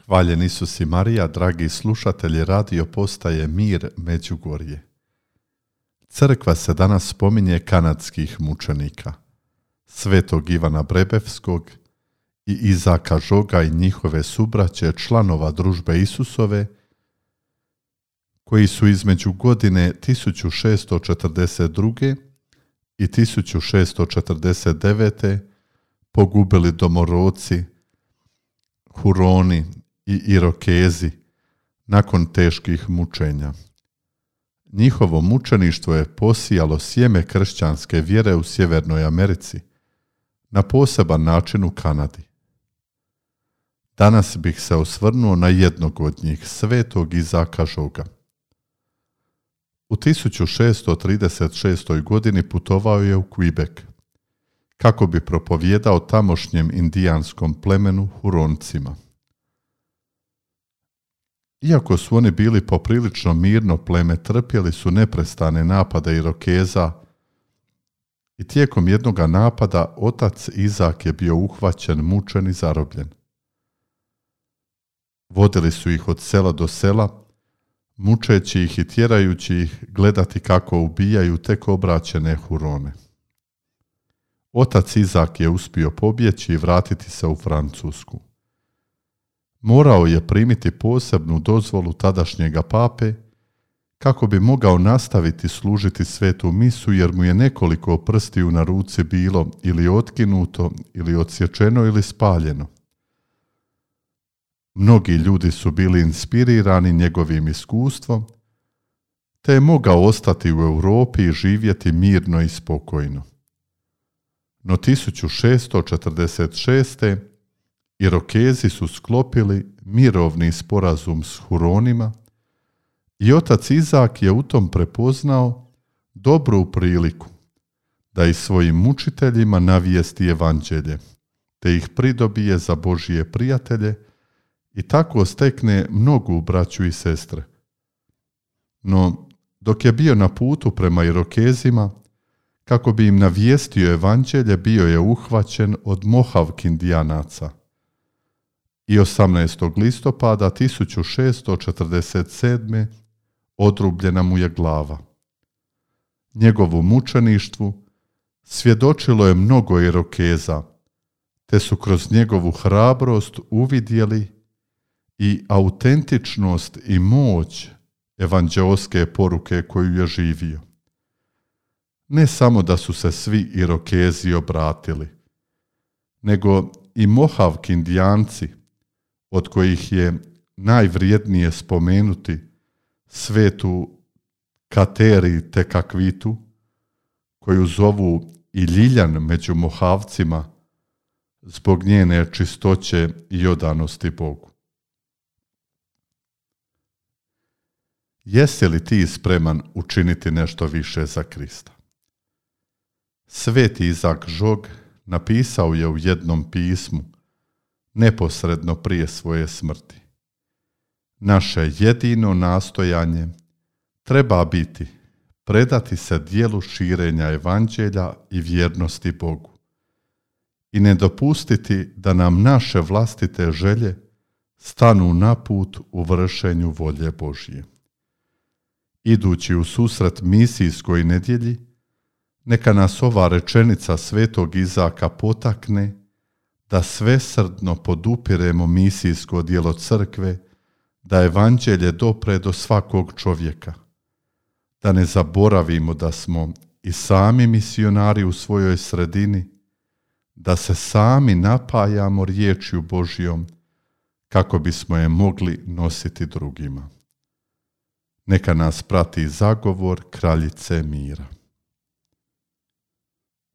Hvaljen Isus i Marija, dragi slušatelji radio postaje Mir Međugorje. Crkva se danas spominje kanadskih mučenika, svetog Ivana Brebevskog i Izaka Žoga i njihove subraće, članova družbe Isusove, koji su između godine 1642. i 1649. pogubili domorodci, Huroni i Irokezi nakon teških mučenja. Njihovo mučeništvo je posijalo sjeme kršćanske vjere u Sjevernoj Americi, na poseban način u Kanadi. Danas bih se osvrnuo na jednog od njih, svetog Izaka Žoga. U 1636. godini putovao je u Quebec, kako bi propovijedao tamošnjem indijanskom plemenu Huroncima. Iako su oni bili poprilično mirno pleme, trpjeli su neprestane napade Irokeza i tijekom jednoga napada otac Izak je bio uhvaćen, mučen i zarobljen. Vodili su ih od sela do sela, mučeći ih i tjerajući ih gledati kako ubijaju tek obraćene Hurone. Otac Izak je uspio pobjeći i vratiti se u Francusku. Morao je primiti posebnu dozvolu tadašnjega pape kako bi mogao nastaviti služiti svetu misu, jer mu je nekoliko prstiju na ruci bilo ili otkinuto, ili odsječeno, ili spaljeno. Mnogi ljudi su bili inspirirani njegovim iskustvom, te je mogao ostati u Europi i živjeti mirno i spokojno. No 1646. Irokezi su sklopili mirovni sporazum s Huronima i otac Izak je u tom prepoznao dobru priliku da i svojim mučiteljima navijesti evanđelje, te ih pridobije za Božije prijatelje i tako stekne mnogu braću i sestre. No, dok je bio na putu prema Irokezima, kako bi im navijestio evanđelje, bio je uhvaćen od Mohawk indijanaca i 18. listopada 1647. odrubljena mu je glava. Njegovu mučeništvu svjedočilo je mnogo Irokeza, te su kroz njegovu hrabrost uvidjeli i autentičnost i moć evanđeoske poruke koju je živio. Ne samo da su se svi Irokezi obratili, nego i Mohawk indijanci, od kojih je najvrijednije spomenuti svetu Kateri Tekakvitu, koju zovu i Ljiljan među Mohavcima zbog njene čistoće i odanosti Bogu. Jesi li ti spreman učiniti nešto više za Krista? Sveti Izak Žog napisao je u jednom pismu neposredno prije svoje smrti: naše jedino nastojanje treba biti predati se djelu širenja evanđelja i vjernosti Bogu i ne dopustiti da nam naše vlastite želje stanu na put u vršenju volje Božje. Idući u susret misijskoj nedjelji, neka nas ova rečenica svetog Izaka potakne da svesrdno podupiremo misijsko djelo crkve, da evanđelje dopre do svakog čovjeka, da ne zaboravimo da smo i sami misionari u svojoj sredini, da se sami napajamo riječju Božjom kako bismo je mogli nositi drugima. Neka nas prati zagovor kraljice mira.